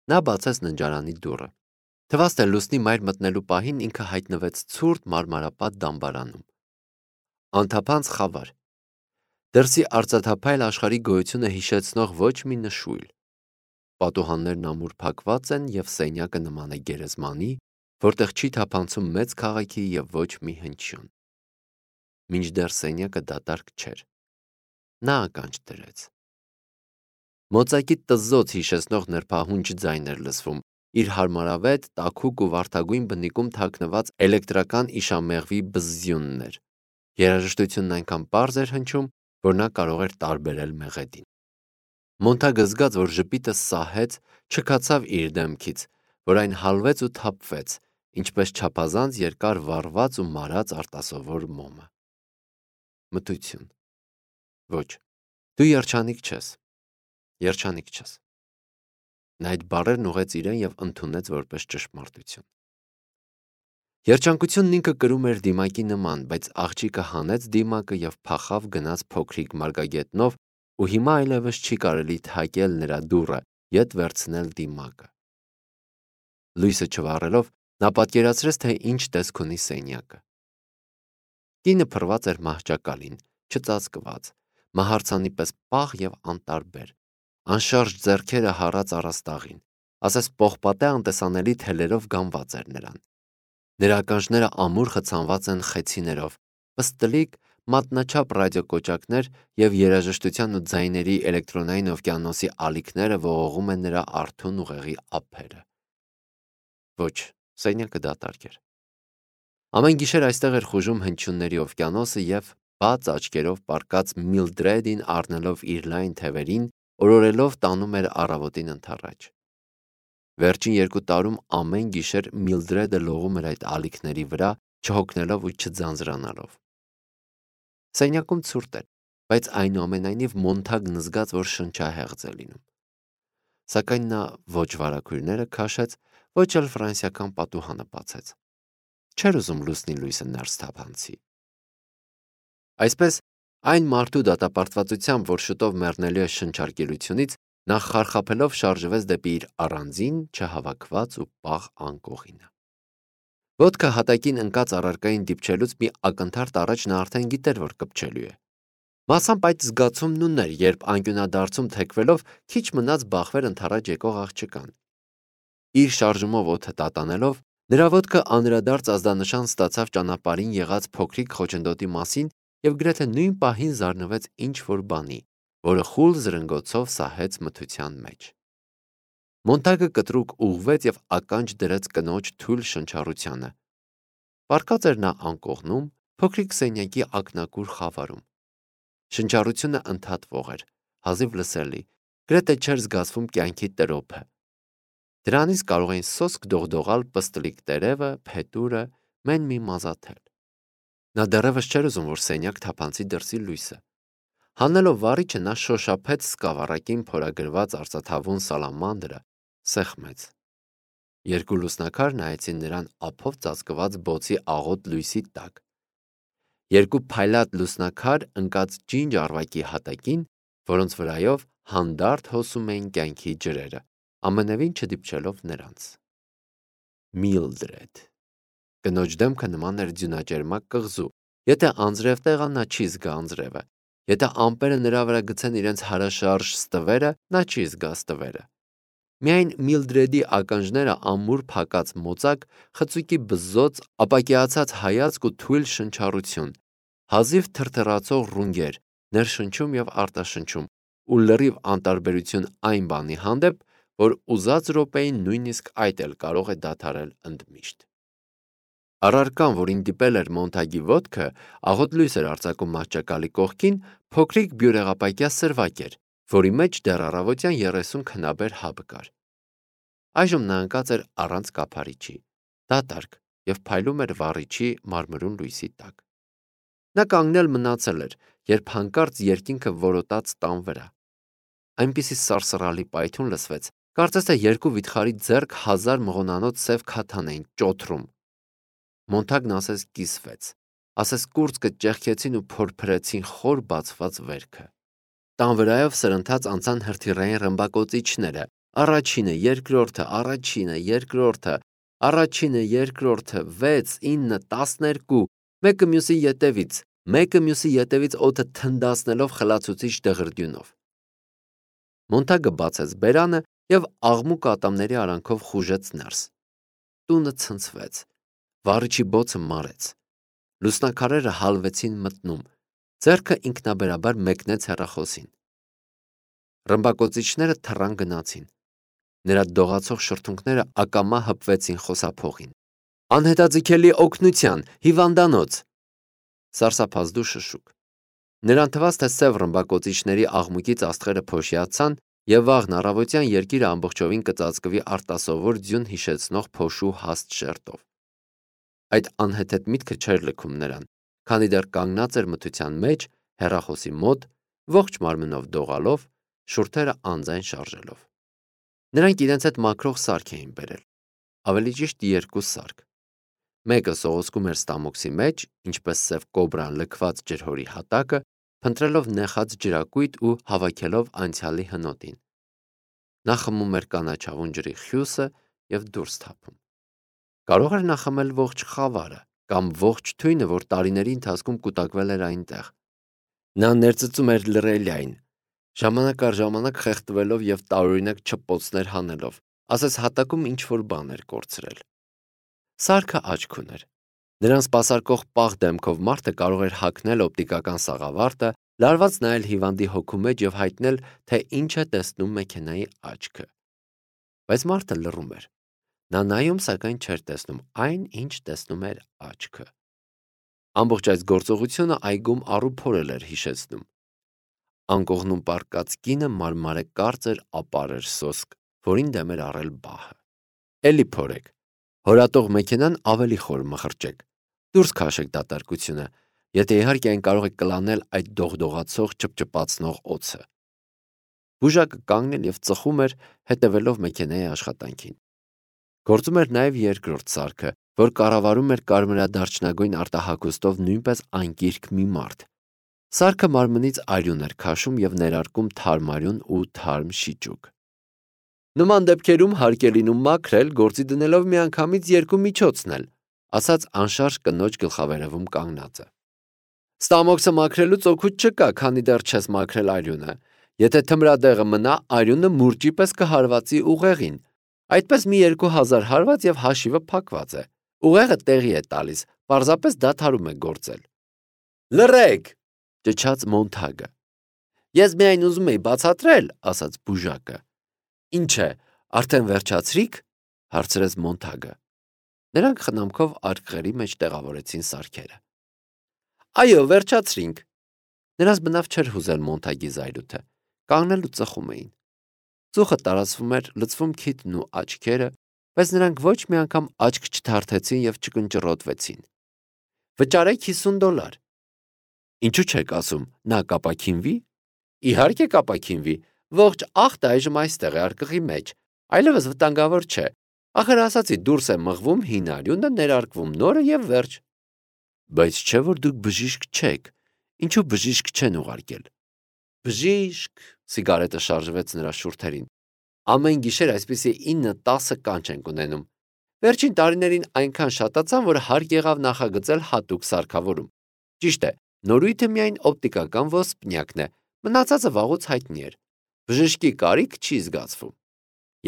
Նա բացեց ննջարանի դուռը։ Թվաց, թե լուսնի մայր մտնելու պահին ինքը հայտնվեց ցուրտ մարմարապատ դամբարանում։ Անթափանց խավար։ Դրսի արծաթափայլ աշխարհի գոյությունը հիշեցնող ոչ մի նշույլ։ Պատուհաններն ամուր փակված են և սենյակը նման է գերեզմանի, որտեղ չի թափանցում մեծ քաղաքի և ոչ մի հնչյուն։ Մինչդեռ սենյակը դատարկ չէր։ Նա ականջ դրեց։ Մոծակի տզզոց հիշեցնող նրբահունչ ձայն էր լսվում, իր հարմարավետ, տաքուկ ու վարդագույն բնիկում թաքնված էլեկտրական իշամեղվի բզզյունն էր։ Երաժշտությունն այնքան պարզ էր հնչում, որ նա կարող էր տարբերել մեղեդին։ Մոնթագը զգաց, որ ժպիտը սահեց, չքացավ իր դեմքից, որ այն հալվեց ու թափվեց, ինչպես չափազանց երկար վառված ու մարած արտասովոր մոմը։ Մթություն։ Ոչ, դու երջանիկ չես։ Երջանիկ չես։ Նա այդ բառերն ուղղեց իրեն և ընդունեց որպես ճշմարտություն։ Երջանկությունն ինքը կրում էր դիմակի նման, բայց աղջիկը հանեց դիմակը և փախավ գնաց փոքրիկ մարգագետնով, ու հիմա այլևս չի կարելի թակել նրա դուռը, ետ վերցնել դիմակը։ Լույսը չվառելով, նա պատկերացրեց, թե ինչ տեսք ունի սենյակը։ Կինը փռված էր մահճակալին, չծածկված, մահարձանի պես պաղ և անտարբեր, անշարժ ձեռքերը հառած առաստաղին, ասես պողպատե անտեսանելի թելերով գամված էր նրան։ Նրա ականջները ամուր խցանված են խեցիներով, պստլիկ, մատնաչափ ռադիոկոճակներ և երաժշտության ու ձայների էլեկտրոնային օվկիանոսի ալիքները ողողում են նրա արթուն ուղեղի ափերը։ Ոչ, սենյակը դատարկ էր։ Ամեն գիշեր այստեղ էր խուժում հնչյունների օվկիանոսը և բաց աչքերով պառկած Միլդրեդին առնելով իր լայն թևերին, օրորելով տանում էր առավոտին ընդառաջ։ Վերջին 2 տարում ամեն գիշեր Միլդրեդը լողում էր այդ ալիքների վրա, չհոգնելով ու չձանձրանալով։ Սենյակում ցուրտ էր, բայց այնուամենայնիվ Մոնթագն զգաց, որ շնչահեղձ է լինում։ Սակայն նա ոչ վարագույրները քաշեց, ոչ էլ ֆրանսիական պատուհանը բացեց։ Չէր ուզում լուսնի լույսը ներս թափանցի։ Այսպես, այն մարդու դատապարտվածությամբ, որ շուտով մեռնելու է շնչարգելությունից, նա խարխափելով շարժվեց դեպի իր առանձին, չհավաքված ու պաղ անկողինը։ Ոտքը հատակին ընկած առարկային դիպչելուց մի ակնթարթ առաջ նա արդեն գիտեր, որ կպչելու է։ Մասամբ այդ զգացումն ուներ, երբ անկյունադարձում թեքվելով քիչ մնաց բախվեր ընդառաջ եկող աղջկան։ Իր շարժումով օդը տատանելով, նրա ոտքը անդրադարձ ազդանշան ստացավ ճանապարհին եղած փոքրիկ խոչընդոտի մասին և գրեթե նույն պահին զարնվեց ինչ-որ բանի, որը խուլ զրնգոցով սահեց մթության մեջ։ Մոնթագը կտրուկ ուղղվեց և ականջ դրեց կնոջ թույլ շնչառությանը։ Պառկած էր նա անկողնում, փոքրիկ սենյակի ակնակուր խավարում։ Շնչառությունը ընդհատվող էր, հազիվ լսելի, գրեթե չէր զգացվում կյանքի տրոփը։ Դրանից կարող էին սոսկ դողդողալ պստլիկ տերևը, փետուրը, մեն մի մազաթել։ Նա դեռևս չէր ուզում, որ սենյակ թափանցի դրսի լույսը։ Հանելով վառիչը նա շոշափեց սկավառակին փորագրված արծաթավուն սալամանդրը, սեղմեց։ 2 լուսնակար նայեցին նրան ափով ծածկված բոցի աղոտ լույսի տակ։ 2 փայլատ լուսնակար ընկած ջինջ առվակի հատակին, որոնց վրայով հանդարտ հոսում էին կյանքի ջրերը, ամենևին չդիպչելով նրանց։ Միլդրեդ։ Կնոջ դեմքը նման էր ձյունաճերմակ կղզու, եթե անձրև տեղա նա չի զգա անձրևը, եթե ամպերը նրա վրա գցեն իրենց հարաշարժ ստվերը, նա չի զգա ստվերը։ Միայն Միլդրեդի ականջները ամուր փակած մոծակ, խցուկի բզզոց, ապակիացած հայացք ու թույլ շնչառություն, հազիվ թրթռացող ռունգեր, ներշնչում և արտաշնչում, ու լրիվ անտարբերություն այն բանի հանդեպ, որ ուզած րոպեին նույնիսկ այդ էլ կարող է դադարել ընդմիշտ։ Առարկան, որին դիպել էր Մոնթագի ոտքը, աղոտ լույս էր արձակում մահճակալի կողքին, փոքրիկ բյուրեղապակյա սրվակ էր, որի մեջ դեռ առավոտյան 30 քնաբեր հաբ կար։ Այժմ նա ընկած էր առանց կափարիչի, դատարկ և փայլում էր վառիչի մարմրուն լույսի տակ։ Նա կանգնել մնացել էր, երբ հանկարծ երկինքը որոտաց տան վրա։ Այնպիսի սարսռալի պայթյուն լսվեց, կարծես թե 2 վիթխարի ձեռք 1000 մղոնանոց սև քաթան էին ճոթռում։ Մոնթագն ասես կիսվեց, ասես կուրծքը ճեղքեցին ու փորփրեցին խոր բացված վերքը։ Տան վրայով սրընթաց անցան հրթիռային ռմբակոծիչները, Առաջինը, երկրորդը, առաջինը, երկրորդը, առաջինը, երկրորդը, 6, 9, 12, մեկը մյուսի ետևից օդը թնդացնելով խլացուցիչ դղրդյունով։ Մոնթագը բացեց բերանը և աղմուկ ատամների արանքով խուժեց ներս։ Տունը ցնցվեց, վառիչի բոցը մարեց, լուսնակարերը հալվեցին մտնում, ձեռքը ինքնաբերաբար մեկնեց հեռախոսին։ Ռմբակոծիչները թռան գնացին, նրա դողացող շրթունքները ակամա հպվեցին խոսափողին։ Անհետաձգելի օգնության, հիվանդանոց։ Սարսափազդու շշուկ։ Նրան թվաց, թե սև ռմբակոծիչների աղմուկից աստղերը փոշիացան և վաղն առավոտյան երկիրը ամբողջովին կծածկվի արտասովոր ձյուն հիշեցնող փոշու հաստ շերտով։ Այդ անհեթեթ միտքը չէր լքում նրան, քանի դեռ կանգնած էր մթության մեջ, հեռախոսի մոտ, ողջ մարմնով դողալով, շուրթերը անձայն շարժելով։ Նրանք իրենց հետ մաքրող սարք էին բերել, ավելի ճիշտ երկու սարք։ Մեկը սողոսկում էր ստամոքսի մեջ, ինչպես սև կոբրան լքված ջրհորի հատակը, փնտրելով նեխած ջրակույտ ու հավաքելով անցյալի հնոտին։ Նա խմում էր կանաչավուն ջրի խյուսը և դուրս թափում։ Կարող էր նա խմել ողջ խավարը կամ ողջ թույնը, որ տարիների ընթացքում կուտակվել էր այնտեղ։ Նա ներծծում էր լռելիային, ժամանակ առ ժամանակ խեղդվելով և տարօրինակ չպոցներ հանելով, ասես հատակում ինչ-որ բան էր կորցրել։ Սարքը աչք ուներ։ Նրան սպասարկող պաղ դեմքով մարդը կարող էր հագնել օպտիկական սաղավարտը, լարված նայել հիվանդի հոգու մեջ և հայտնել, թե ինչ է տեսնում մեքենայի աչքը։ Բայց մարդը լռում էր։ Նա նայում, սակայն չէր տեսնում այն, ինչ տեսնում էր աչքը։ Ամբողջ այս գործողությունը այգում առուփորել էր հիշեցնում։ Անկողնում պառկած կինը մարմարե կարծր ապար էր սոսկ, որին դեմ էր առել բահը։ Էլի փորեք։ Հորատող մեքենան ավելի խոր մխրճեք։ Դուրս քաշեք դատարկությունը, եթե իհարկե այն կարող է կլանել այդ դողդողացող ճպճպացնող օձը։ Բուժակը կանգնել և ծխում էր, հետևելով մեքենայի աշխատանքին։ Գործում էր նաև երկրորդ սարքը, որ կառավարում էր կարմրադարչնագույն արտահագուստով նույնպես անկիրք մի մարդ։ Սարքը մարմնից արյուն էր քաշում և ներարկում թարմ արյուն ու թարմ շիճուկ։ Նման դեպքերում հարկ է լինում մաքրել, գործի դնելով միանգամից երկու միջոցնել, ասաց անշարժ կնոջ գլխավերևում կանգնածը։ Ստամոքսը մաքրելուց օգուտ չկա, քանի դեռ չես մաքրել արյունը։ Եթե թմրադեղը մնա, արյունը մուրճի պես կհարվածի ուղեղին։ Այդպես մի 2000 հարված և հաշիվը փակված է։ Ուղեղը տեղի է տալիս, պարզապես դադարում է գործել։ Լռեք, ճչաց Մոնթագը։ Ես միայն ուզում էի բացատրել, ասաց բուժակը։ Ինչ է, արդեն վերջացրիք, հարցրեց Մոնթագը։ Նրանք խնամքով արկղերի մեջ տեղավորեցին սարքերը։ Այո, վերջացրինք։ Նրանց բնավ չէր հուզել Մոնթագի զայրույթը, կանգնել ու ծխում էին։ Ծուխը տարածվում էր, լցվում քիթն ու աչքերը, բայց նրանք ոչ մի անգամ աչք չթարթեցին և չկնճռոտվեցին։ Վճարեք $50։ Ինչու չեք ասում, նա կապաքինվի։ Իհարկե կապաքինվի, ողջ աղտը այժմ այստեղ է արկղի մեջ, այլևս վտանգավոր չէ։ Ախր ասացի, դուրս է մղվում հին արյունը, ներարկվում նորը և վերջ։ Բայց չէ՞ որ դուք բժիշկ չեք, ինչու բժիշկ չեն ուղարկել։ Բժիշկ, սիգարետը շարժվեց նրա շուրթերին։ Ամեն գիշեր այսպիսի 9-10 կանչ ենք ունենում։ Վերջին տարիներին այնքան շատացան, որ հարկ եղավ նախագծել հատուկ սարքավորում։ Ճիշտ է, նորույթը միայն օպտիկական ոսպնյակն է, մնացածը վաղուց հայտնի էր։ Բժշկի կարիք չի զգացվում։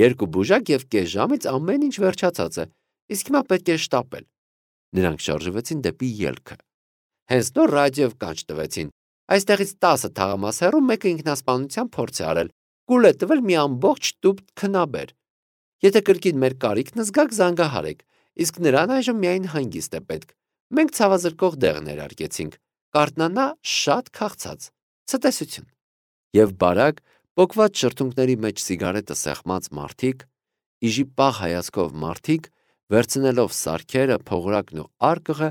2 բուժակ և կես ժամից ամեն ինչ վերջացած է, իսկ հիմա պետք է շտապել։ Նրանք շարժվեցին դեպի ելքը։ Հենց նոր ռադիոյով կանչ տվեցին։ Այստեղից 10 թաղամաս հեռու մեկը ինքնասպանության փորձ է արել, կուլ է տվել մի ամբողջ տուփ քնաբեր։ Եթե կրկին մեր կարիքն զգաք, զանգահարեք, իսկ նրան այժմ միայն հանգիստ է պետք։ Մենք ցավազրկող դեղ ներարկեցինք, կարթնանա շատ քաղցած։ Ցտեսություն։ Եվ բարակ, պոկված շրթունքների մեջ սիգարետը սեղմած մարդիկ, իժի պաղ հայացքով մարդիկ, վերցնելով սարքերը, փողրակն ու արկղը,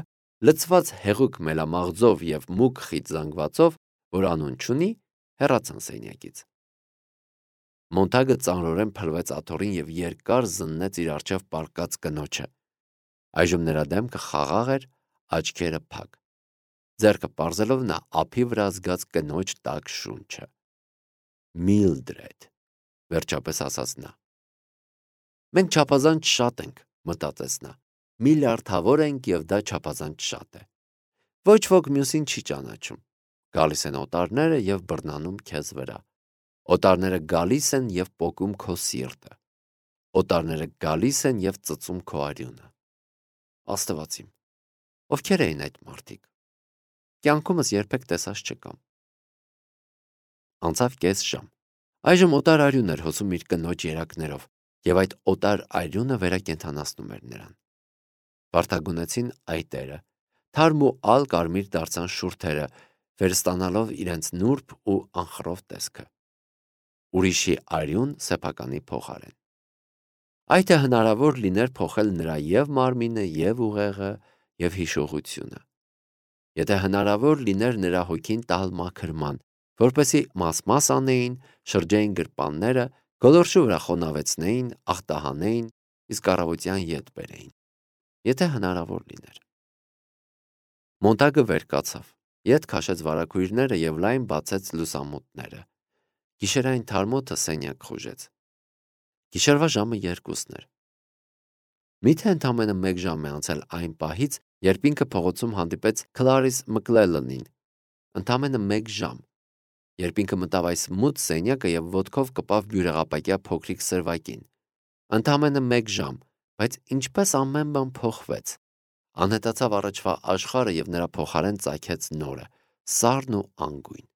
լցված հեղուկ մելամաղձով և մուգ խիտ զանգվածով, որ անուն չունի, հեռացան սենյակից։ Մոնթագը ծանրորեն փլվեց աթոռին և երկար զննեց իր առջև պառկած կնոջը։ Այժմ նրա դեմքը խաղաղ էր, աչքերը փակ։ Ձեռքը պարզելով նա ափի վրա զգաց կնոջ տաք շունչը։ Միլդրեդ, վերջապես ասաց նա։ Մենք չափազանց շատ ենք, մտածեց նա։ Միլիարդավոր ենք եւ դա չափազանց շատ է։ Ոչ ոք մյուսին չի ճանաչում։ Գալիս են օտարները եւ բռնանում քեզ վրա։ Օտարները գալիս են եւ պոկում քո սիրտը։ Օտարները գալիս են եւ ծծում քո արյունը։ Աստված իմ, ովքեր էին այդ մարդիկ։ Կյանքումս երբեք տեսած չկամ։ Անցավ կես ժամ։ Այժմ օտար արյուն էր հոսում իր կնոջ երակներով, եւ այդ օտար արյունը վերակենդանացնում էր նրան։ Վարդագունեցին այտերը, թարմ ու ալ կարմիր դարձան շուրթերը, վերստանալով իրենց նուրբ ու անխռով տեսքը։ Ուրիշի արյուն սեփականի փոխարեն։ Այդ է հնարավոր լիներ փոխել նրա եւ մարմինը, եւ ուղեղը, եւ հիշողությունը։ Եթե հնարավոր լիներ նրա հոգին տալ մաքրման, որպեսզի մաս-մաս անեին, շրջեին գրպանները, գոլորշու վրա խոնավեցնեին, ախտահանեին, իսկ առավոտյան ետ բերեին։ Եթե հնարավոր լիներ։ Մոնտագը վեր կացավ, ետ քաշեց վարագույրները եւ լայն բացեց լուսամուտները։ Գիշերային թարմոթը սենյակ խուժեց։ Գիշերվա ժամը 2-ն էր։ Միթե ընդամենը 1 ժամ է անցել այն պահից, երբ ինքը փողոցում հանդիպեց Քլարիս Մկլելնին։ Ընդամենը 1 ժամ, երբ ինքը մտավ այս մութ սենյակը եւ ոտքով կպավ բյուրեղապակյա փոքրիկ սրվակին։ Ընդամենը 1 ժամ, բայց ինչպես ամեն բան փոխվեց։ Անհետացավ առաջվա աշխարհը եւ նրա փոխարեն ծագեց նորը, սառն ու անգույն։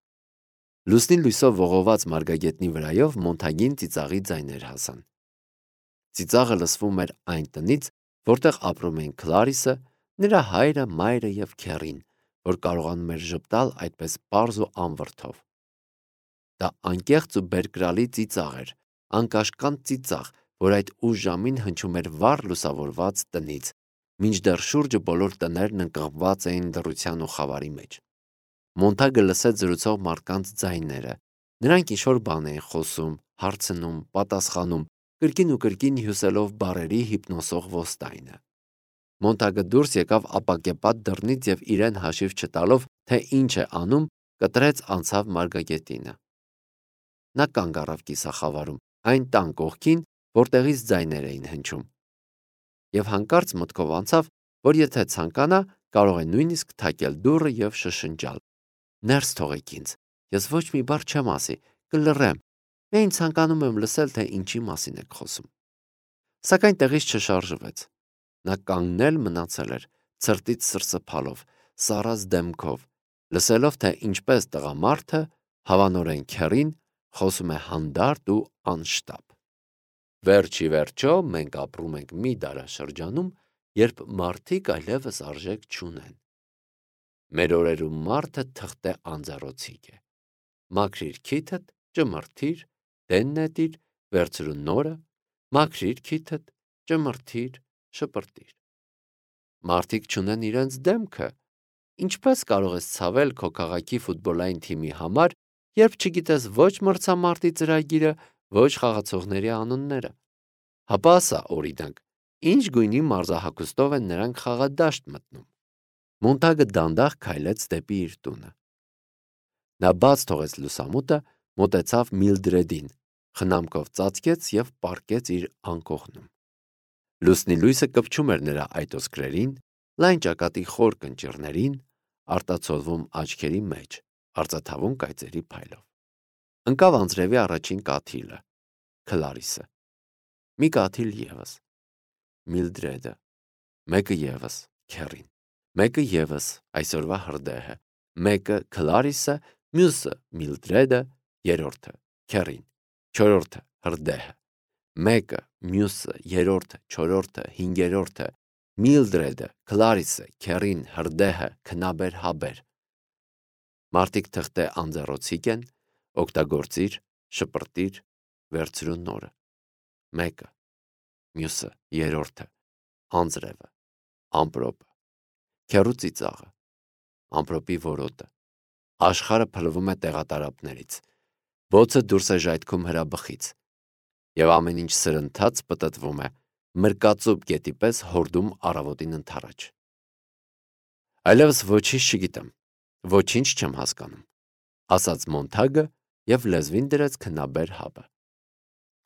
Լուսնի լույսով ողողված մարգագետնի վրայով Մոնտագին ծիծաղի ձայներ հասան։ Ծիծաղը լսվում էր այն տնից, որտեղ ապրում էին Քլարիսը, նրա հայրը, մայրը եւ քեռին, որ կարողանում էր ժպտալ այդպես պարզ ու անվրդով։ Դա անկեղծ ու բերկրալի ծիծաղ էր, անկաշկանդ ծիծաղ, որ այդ ուշ ժամին հնչում էր վառ լուսավորված տնից, մինչդեռ շուրջը բոլոր տներն ընկղմված էին դռության ու խավարի մեջ։ Մոնտագը լսեց զրուցող մարդկանց ձայները։ Նրանք ինչ-որ բան էին խոսում, հարցնում, պատասխանում, կրկին ու կրկին հյուսելով բառերի հիպնոսող ոստայնը։ Մոնտագը դուրս եկավ ապակեպատ դռնից եւ իրեն հաշիվ չտալով, թե ինչ է անում, կտրեց անցավ մարգագետինը։ Նա կանգ առավ կիսախավարում, այն տան կողքին, որտեղից ձայներ էին հնչում։ Եվ հանկարծ մտքով անցավ, որ եթե ցանկանա, կարող է նույնիսկ թակել դուռը եւ շշնջալ. «Ներս թողեք ինձ, ես ոչ մի բառ չեմ ասի, կլռեմ, միայն ցանկանում եմ լսել, թե ինչի մասին եք խոսում»։ Սակայն տեղից չշարժվեց։ Նա կանգնել մնացել էր, ցրտից սրսփալով, սառած դեմքով, լսելով, թե ինչպես տղամարդը, հավանորեն քեռին, խոսում է հանդարտ ու անշտապ։ Վերջի վերջո մենք ապրում ենք մի դարաշրջանում, երբ մարդիկ այլևս արժեք չունեն։ Մեր օրերում մարդը թղթե անձեռոցիկ է։ Մաքրիր քիթդ, ճմրթիր, դեն նետիր, վերցրու նորը, մաքրիր քիթդ, ճմրթիր, շպրտիր։ Մարդիկ չունեն իրենց դեմքը։ Ինչպես կարող ես ցավել քո քաղաքի ֆուտբոլային թիմի համար, երբ չգիտես ոչ մրցամարտի ծրագիրը, ոչ խաղացողների անունները։ Հապա ասա, օրինակ, ինչ գույնի մարզահագուստով են նրանք խաղադաշտ մտնում։ Մոնտագը դանդաղ քայլեց դեպի իր տունը։ Նա բաց թողեց լուսամուտը, մոտեցավ Միլդրեդին, խնամքով ծածկեց եւ պառկեց իր անկողնում։ Լուսնի լույսը կպչում էր նրա այտոսկրերին, լայն ճակատի խոր կնճիռներին, արտացոլվում աչքերի մեջ, արծաթավուն կայծերի փայլով։ Ընկավ անձրևի առաջին կաթիլը, Քլարիսը։ Մի կաթիլ եւս, Միլդրեդը, մեկը եւս, քեռին, մեկը եւս, այսօրվա հրդեհը, մեկը Քլարիսը, մյուսը Միլդրեդը, երրորդը քեռին, չորրորդը հրդեհը, մեկը, մյուսը, երրորդը, չորրորդը, հինգերորդը, Միլդրեդը, Քլարիսը, քեռին, հրդեհը, քնաբեր, հաբեր։ Մարդիկ թղթե անձեռոցիկ են, օգտագործիր, շպրտիր, վերցրու նորը։ Մեկը, մյուսը, երրորդը, անձրևը, ամպրոպը, քեռու ծիծաղը, ամպրոպի որոտը, աշխարհը փլվում է տեղատարապներից, բոցը դուրս է ժայթքում հրաբխից, եւ ամեն ինչ սրընթաց պտտվում է, մրկածուփ գետի պես հորդում առավոտին ընդառաջ։ Այլևս ոչինչ չգիտեմ, ոչինչ չեմ հասկանում, ասաց Մոնտագը եւ լեզվին դրեց քնաբեր հաբը։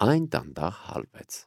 Այն դանդաղ հալվեց։